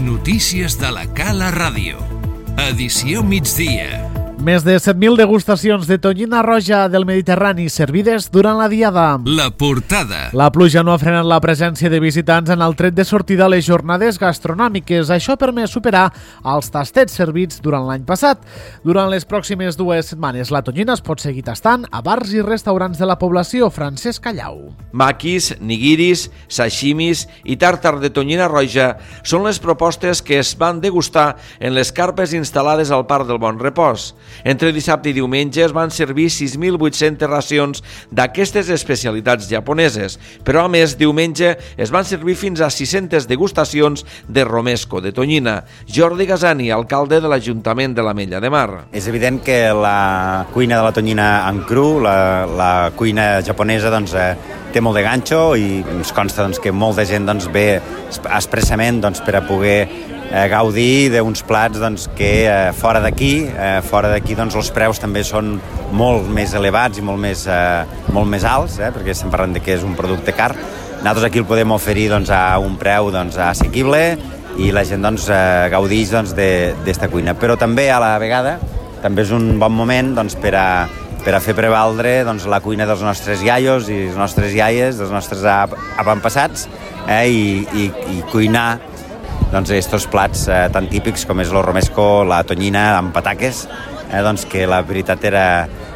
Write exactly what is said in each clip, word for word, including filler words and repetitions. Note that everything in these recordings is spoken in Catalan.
notícies de la Cala Ràdio. Edició migdia. Més de set mil degustacions de tonyina roja del Mediterrani servides durant la diada. La portada. La pluja no ha frenat la presència de visitants en el tret de sortida a les jornades gastronòmiques. Això ha permès superar els tastets servits durant l'any passat. Durant les pròximes dues setmanes, la tonyina es pot seguir tastant a bars i restaurants de la població. Francesc Callau. Maquis, nigiris, sashimis i tàrtar de tonyina roja són les propostes que es van degustar en les carpes instal·lades al Parc del Bon Repòs. Entre dissabte i diumenge es van servir sis mil vuit-centes racions d'aquestes especialitats japoneses, però a més diumenge es van servir fins a sis-centes degustacions de romesco de tonyina. Jordi Gasani, alcalde de l'Ajuntament de l'Ametlla de Mar. És evident que la cuina de la tonyina en cru, la, la cuina japonesa, doncs, eh, té molt de ganxo i ens consta doncs, que molta gent doncs, ve expressament doncs, per a poder eh, gaudir d'uns plats doncs, que eh, fora d'aquí, eh, fora d'aquí doncs, els preus també són molt més elevats i molt més, eh, molt més alts, eh, perquè estem parlant de que és un producte car. Nosaltres aquí el podem oferir doncs, a un preu doncs, assequible i la gent doncs, eh, gaudeix doncs, d'esta cuina. Però també a la vegada també és un bon moment doncs, per a per a fer prevaldre doncs, la cuina dels nostres iaios i les nostres iaies, dels nostres avantpassats, eh, i, i, i cuinar doncs, estos plats eh, tan típics com és el romesco, la tonyina amb pataques, eh, doncs, que la veritat era,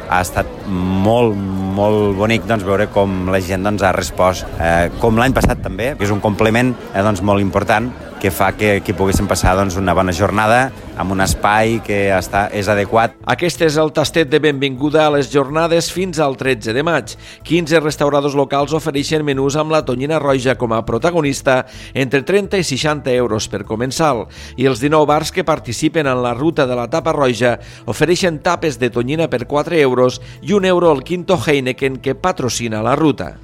ha estat molt, molt bonic doncs, veure com la gent doncs, ha respost, eh, com l'any passat també, que és un complement eh, doncs, molt important que fa que, que poguéssim passar doncs, una bona jornada amb un espai que està, és adequat. Aquest és el tastet de benvinguda a les jornades fins al tretze de maig. quinze restauradors locals ofereixen menús amb la tonyina roja com a protagonista entre trenta i seixanta euros per comensal i els dinou bars que participen en la ruta de la tapa roja ofereixen tapes de tonyina per quatre euros i un euro al Quinto Heineken que patrocina la ruta.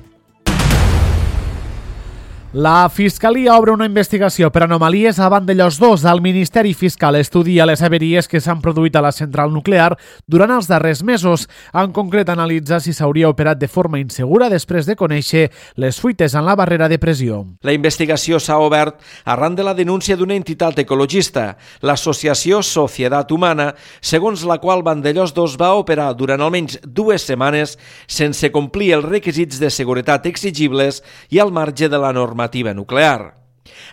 La Fiscalia obre una investigació per anomalies a Vandellòs dos. El Ministeri Fiscal estudia les averies que s'han produït a la central nuclear durant els darrers mesos. En concret, analitza si s'hauria operat de forma insegura després de conèixer les fuites en la barrera de pressió. La investigació s'ha obert arran de la denúncia d'una entitat ecologista, l'associació Societat Humana, segons la qual Vandellòs dos va operar durant almenys dues setmanes sense complir els requisits de seguretat exigibles i al marge de la norma nuclear.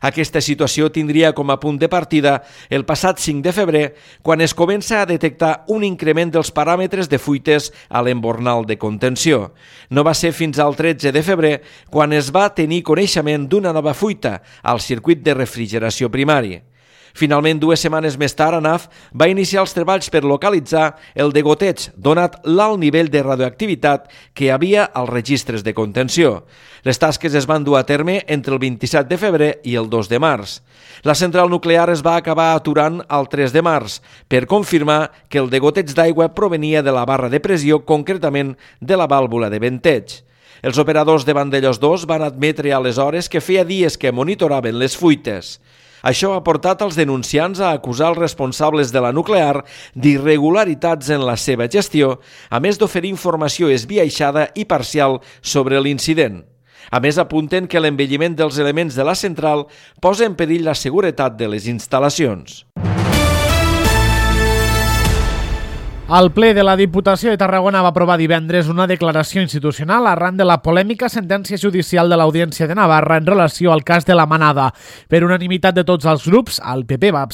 Aquesta situació tindria com a punt de partida el passat cinc de febrer, quan es comença a detectar un increment dels paràmetres de fuites a l'embornal de contenció. No va ser fins al tretze de febrer quan es va tenir coneixement d'una nova fuita al circuit de refrigeració primari. Finalment, dues setmanes més tard, ANAF va iniciar els treballs per localitzar el degoteig, donat l'alt nivell de radioactivitat que hi havia als registres de contenció. Les tasques es van dur a terme entre el vint-i-set de febrer i el dos de març. La central nuclear es va acabar aturant el tres de març per confirmar que el degoteig d'aigua provenia de la barra de pressió, concretament de la vàlvula de venteig. Els operadors de Vandellòs dos van admetre aleshores que feia dies que monitoraven les fuites. Això ha portat els denunciants a acusar els responsables de la nuclear d'irregularitats en la seva gestió, a més d'oferir informació esbiaixada i parcial sobre l'incident. A més, apunten que l'envelliment dels elements de la central posa en perill la seguretat de les instal·lacions. El ple de la Diputació de Tarragona va aprovar divendres una declaració institucional arran de la polèmica sentència judicial de l'Audiència de Navarra en relació al cas de la Manada. Per unanimitat de tots els grups, el P P va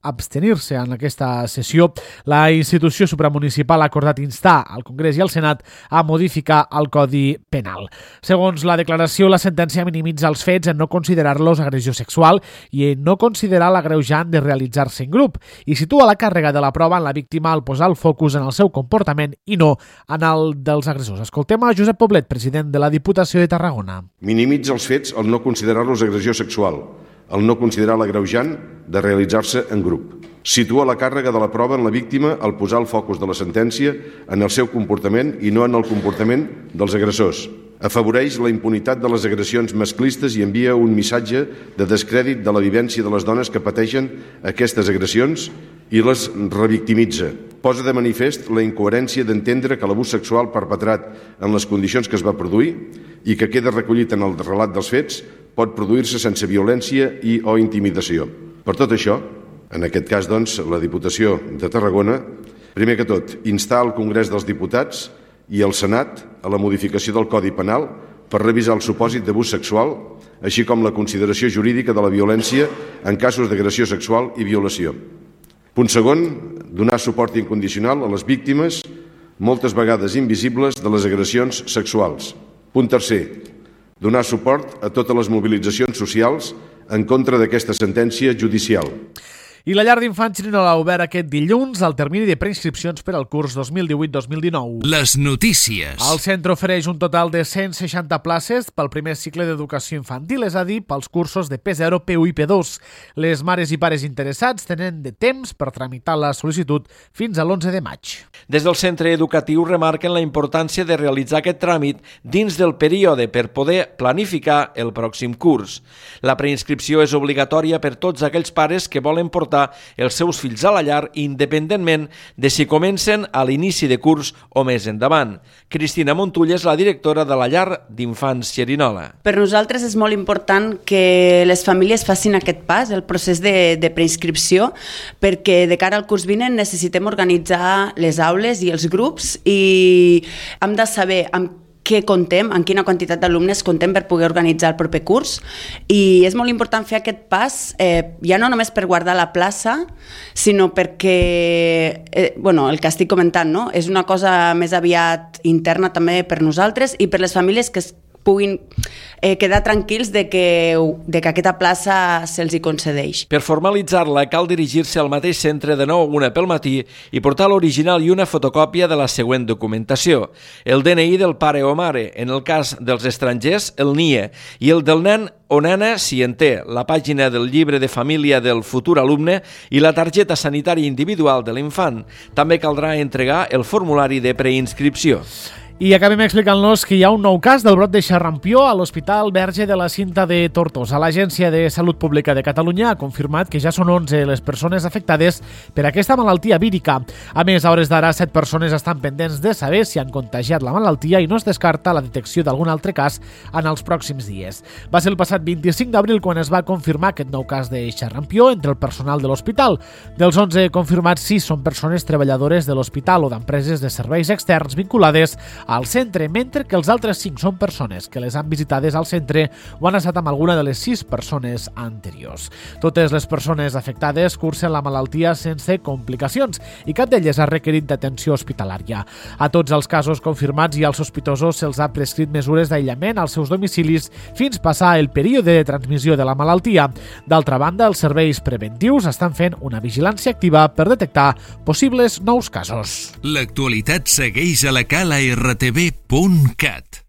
abstenir-se en aquesta sessió. La institució supramunicipal ha acordat instar al Congrés i al Senat a modificar el Codi Penal. Segons la declaració, la sentència minimitza els fets en no considerar-los agressió sexual i en no considerar l'agreujant de realitzar-se en grup i situa la càrrega de la prova en la víctima al posar el focus en el seu comportament i no en el dels agressors. Escoltem a Josep Poblet, president de la Diputació de Tarragona. Minimitza els fets al no considerar-los agressió sexual, al no considerar l'agreujant de realitzar-se en grup. Situa la càrrega de la prova en la víctima al posar el focus de la sentència en el seu comportament i no en el comportament dels agressors. Afavoreix la impunitat de les agressions masclistes i envia un missatge de descrèdit de la vivència de les dones que pateixen aquestes agressions i les revictimitza. Posa de manifest la incoherència d'entendre que l'abús sexual perpetrat en les condicions que es va produir i que queda recollit en el relat dels fets pot produir-se sense violència i o intimidació. Per tot això, en aquest cas, doncs, la Diputació de Tarragona, primer que tot, instar el Congrés dels Diputats i el Senat a la modificació del Codi Penal per revisar el supòsit d'abús sexual, així com la consideració jurídica de la violència en casos d'agressió sexual i violació. Punt segon, donar suport incondicional a les víctimes, moltes vegades invisibles, de les agressions sexuals. Punt tercer, donar suport a totes les mobilitzacions socials en contra d'aquesta sentència judicial. I la llar d'infants Xerinola ha obert aquest dilluns el termini de preinscripcions per al curs dos mil divuit dos mil dinou. Les notícies. El centre ofereix un total de cent seixanta places pel primer cicle d'educació infantil, és a dir, pels cursos de P zero, P u i P dos. Les mares i pares interessats tenen de temps per tramitar la sol·licitud fins a l'onze de maig. Des del centre educatiu remarquen la importància de realitzar aquest tràmit dins del període per poder planificar el pròxim curs. La preinscripció és obligatòria per tots aquells pares que volen portar els seus fills a la llar independentment de si comencen a l'inici de curs o més endavant. Cristina Montull és la directora de la llar d'infants Xerinola. Per nosaltres és molt important que les famílies facin aquest pas, el procés de, de preinscripció, perquè de cara al curs vinent necessitem organitzar les aules i els grups i hem de saber amb què contem, en quina quantitat d'alumnes contem per poder organitzar el proper curs, i és molt important fer aquest pas, eh, ja no només per guardar la plaça, sinó perquè, eh, bueno, el que estic comentant, no? És una cosa més aviat interna també per nosaltres i per les famílies que es puguin eh, quedar tranquils de que, de que aquesta plaça se'ls hi concedeix. Per formalitzar-la cal dirigir-se al mateix centre de nou a una pel matí i portar l'original i una fotocòpia de la següent documentació. El D N I del pare o mare, en el cas dels estrangers, el N I E, i el del nen o nena, si en té, la pàgina del llibre de família del futur alumne i la targeta sanitària individual de l'infant. També caldrà entregar el formulari de preinscripció. I acabem explicant-los que hi ha un nou cas del brot de xarrampió a l'Hospital Verge de la Cinta de Tortosa. L'Agència de Salut Pública de Catalunya ha confirmat que ja són onze les persones afectades per aquesta malaltia vírica. A més, a hores d'ara, set persones estan pendents de saber si han contagiat la malaltia i no es descarta la detecció d'algun altre cas en els pròxims dies. Va ser el passat vint-i-cinc d'abril quan es va confirmar aquest nou cas de xarrampió entre el personal de l'hospital. Dels onze confirmats, sis són persones treballadores de l'hospital o d'empreses de serveis externs vinculades al centre, mentre que els altres cinc són persones que les han visitades al centre o han estat amb alguna de les sis persones anteriors. Totes les persones afectades cursen la malaltia sense complicacions i cap d'elles ha requerit d'atenció hospitalària. A tots els casos confirmats i als sospitosos se'ls ha prescrit mesures d'aïllament als seus domicilis fins passar el període de transmissió de la malaltia. D'altra banda, els serveis preventius estan fent una vigilància activa per detectar possibles nous casos. L'actualitat segueix a la cala r t v punt cat.